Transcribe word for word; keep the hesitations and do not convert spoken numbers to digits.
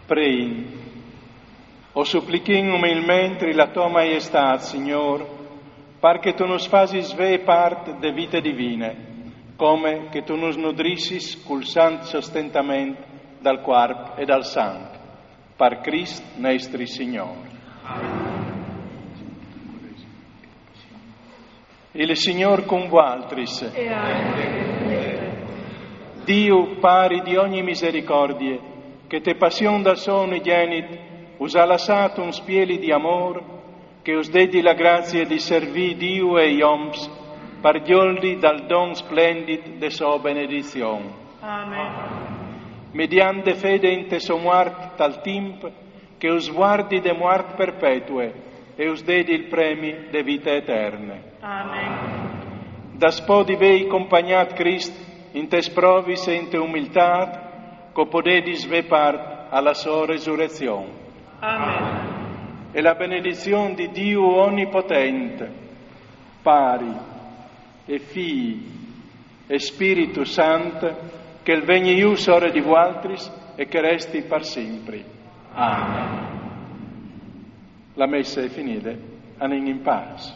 Preìn. O suplichìn umilmentri la to Maiestât, Signôr, par che tu nus fasis vê part de vite divine, come che tu nus nudrissis cul sant sostentament dal cuarp e dal sanc, par Crist nestri Signôr. Il Signôr cun vualtris. E anche con te. Diu, Pari di ogni misericordie, che te passion dal so unigenit us à lassât un spieli di amôr, che us dedi la grazie di servî Diu e i oms par gjoldi dal don splendit de so benedizion. Amen. Mediant de fede inte so muart tal timp, che us vuardi de muart perpetue e us dedi il premi de vite eterne. Amen. Daspò di vei compagnât Crist intes provis e inte umiltât, che o podedis vê part a la so resurezion. Amen. E la benedizion di Diu onipotent, Pari e Fii e Spiritu Sant, che al vegni jù sore di vualtris e che al resti par simpri. Amen. La messe e je finide, anìn in pâs.